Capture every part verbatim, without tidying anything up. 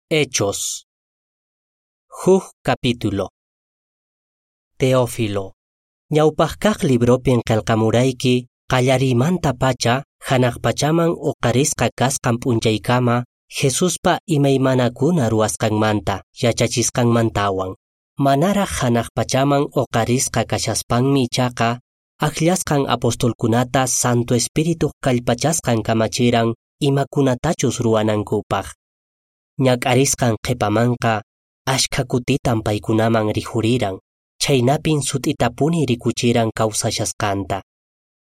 Hechos. Huk capítulo. Teófilo. Ñawpaqkaq libropin qelqamurayki qallariymanta-pacha hanaq pachaman uqarisqa kasqan p'unchaykama Jesuspa imaymanakuna ruwasqanmanta yachachisqanmantawan. Manaraq hanaq pachaman uqarisqa kashaspanmi ichaqa akllasqan apostolkunata Santo Espirituq kallpachasqan kamachiran imakunatachus ruwanankupaq. Ñak'arisqan qhipamanqa ashkha kutitan paykunaman rikhuriran, chhaynapin sut'itapuni rikuchiran kawsashasqanta.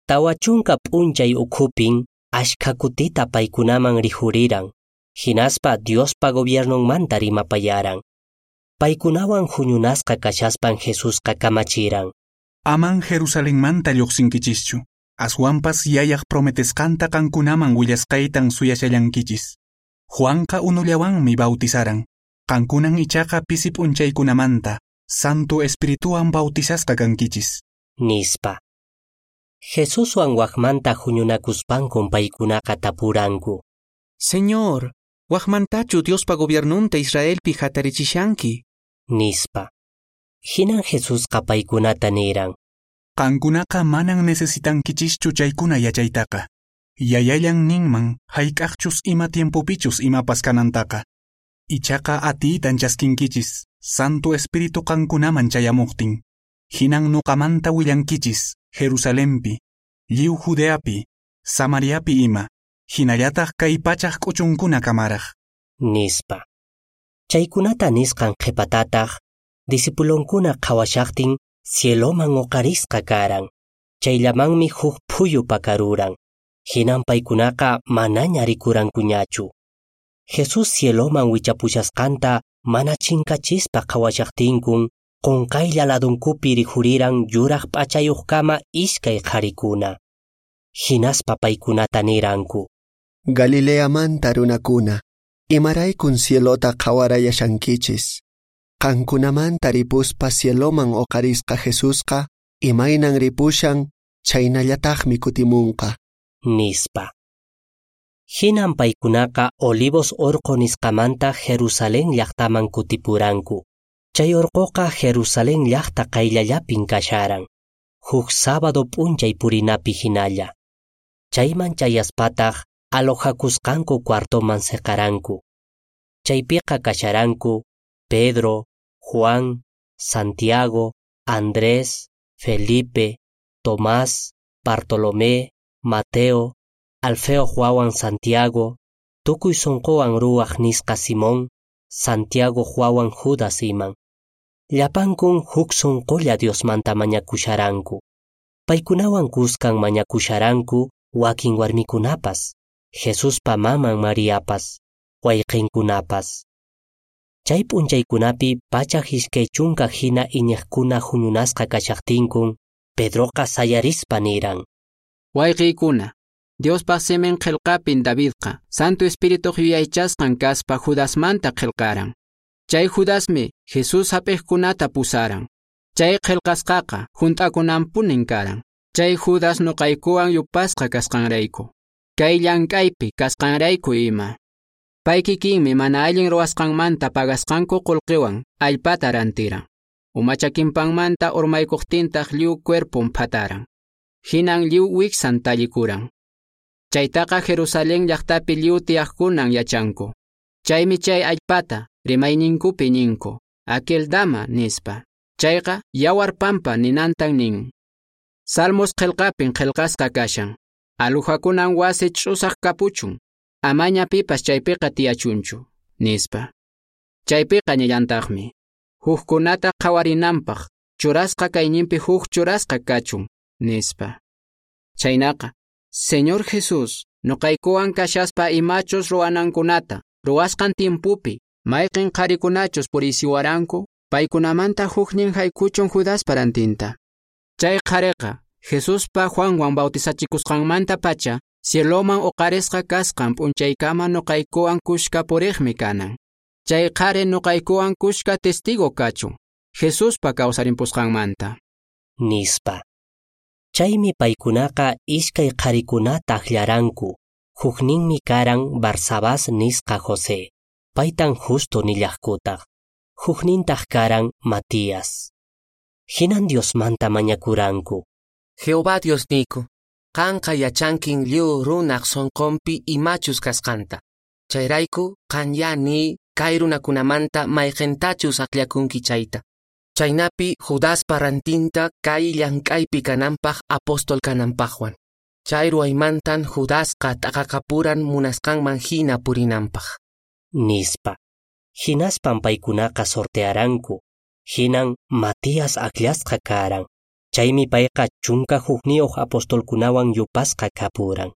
Tawa chunka p'unchay ukhupin ashkha kutita paykunaman rikhuriran, hinaspa Diospa gobiernonmanta rimapayaran. Paykunawan huñunasqa kashaspan Jesusqa kamachiran. Aman Jerusalenmanta lluqsinkichischu, aswanpas yayaq prometesqanta qankunaman willasqaytan suyashallankichis. Juanqa unullawanmi bautizaran, qankunan ichaqa pisi p'unchaykunamanta, Santo Espirituwan bautizasqa kankichis. Nispa. Jesuswan waqmanta huñunakuspankun paykunaqa tapuranku. Señor, waqmantachu Diospa gobiernunta Israelpi hatarichishanki? Nispa. Hinan Jesusqa paykunata niran. Qankunaqa manan necesitankichischu chaykuna yachaytaqa. Yayallan ninman hayk'aqchus ima tiempopichus imapas kanantaqa. Ichaqa atiytan chaskinkichis, Santo Espíritu qankunaman chayamuqtin. Hinan nuqamanta willankichis, Jerusalempi, lliw Judeapi, Samariapi ima, hinallataq kay pachaq k'uchunkuna kamaraq. Nispa. Chaykunata nisqan qhipatataq, discipulonkuna qhawashaqtin cieloman uqarisqa karan. Chayllamanmi huk phuyu pakaruran. Hinan paykunaqa manaña rikurankuñachu. Jesús cieloman wichapushasqanta mana chinkachispa qhawashaqtinkun qunqaylla ladunkupi rikhuriran yuraq p'achayuqkama iskay qharikuna. Hinaspa paykunata niranku. Galileamanta runakuna, imaraykun cielota qhawarayashankichis. Qankunamanta ripuspa cieloman uqarisqa Jesusqa, imaynan ripushan, chaynallataqmi kutimunqa. Nispa. Hinan paykunaqa Olivos orqo nisqamanta Jerusalén llaqtaman kutipuranku. Chay orqoqa Jerusalén llaqta qayllallapin kasharan. Huk sábado p'unchay purinapi hinalla. Chayman chayaspataq alojakusqanku cuartoman seqaranku. Chaypiqa kasharanku Pedro, Juan, Santiago, Andrés, Felipe, Tomás, Bartolomé, Mateo, Alfeo wawan Santiago, tukuy sunquwan ruwaq nisqa Simón, Santiago wawan Judas iman. Llapankun huk sunqulla Diosmanta mañakusharanku. Paykunawan kuskan mañakusharanku wakin warmikunapas, Jesuspa maman Mariapas, wayqinkunapas. Chay p'unchaykunapi pachak iskay chunka hina iñiqkuna huñunasqa kashaqtinkun, Pedroqa sayarispa niran. Wayqiykuna, Diospa simin qillqapin Davidqa, Santo Espirituq yuyaychasqan kaspa Judasmanta qillqaran. Chay Judasmi Jesús hap'iqkunata pusaran. Chay qillqasqaqa hunt'akunanpunin karan. Chay Judas nuqaykuwan yupasqa kasqanrayku. Kay llank'aypi kasqanrayku ima. Pay kikinmi mana allin ruwasqanmanta pagasqanku qullqiwan allpata rantiran. Umachakinpanmanta urmaykuqtintaq lliw cuerpon phataran. Hinan lliw wiksan tallikuran. Chaytaqa Jerusalén llaqtapi lliw tiyaqkunan yachanku. Chaymi chay allpata rimayninkupi ninku, Akeldama nispa. Chayqa yawar pampa ninantan nin. Salmos qillqapin qillqasqa kashan. Aluhakunan wasi ch'usaq kapuchun. Amaña pipas chaypiqa tiyachunchu, nispa. Chaypiqa nillantaqmi. Hukkunata qhawarinanpaq, churasqa kayninpi huk churasqa kachun, nispa. Chaynaqa, Señor Jesús, nuqaykuwan kashaspa imachus ruwanankunata, ruwasqan tiempupi, mayqin qharikunachus purisiwaranku, paykunamanta huknin haykuchun Judaspa rantinta. Chay qhariqa, Jesuspa Juanwan bautizachikusqanmanta pacha, cieloman uqarisqa kasqan p'unchaykama nuqaykuwan kushka puriqmi kanan. Chay qhari nuqaykuwan kushka testigo kachun, Jesuspa kawsarimpusqanmanta. Nispa. Chaymi paykunaqa iskay qharikunata akllaranku, hukninmi karan Barsabás nisqa José. Paytan Justo nillaqkutaq. Huknintaq karan Matías. Hinan Diosmanta mañakuranku. Jehová Diosniyku, qanqa yachankin lliw runaq sonqonpi imachus kasqanta. Chayrayku qanya niy kay runakunamanta mayqintachus akllakunki chayta. Chaynapi Judaspa rantinta kay llank'aypi kananpaq apóstol kananpaqwan. Chay ruwaymantan Judasqa t'aqakapuran munasqanman hina purinanpaq. Nispa. Hinaspan paykunaqa sortearanku. Hinan Matías akllasqa karan. Chaymi payqa chunka hukniyuq apostolkunawan yupasqa kapuran.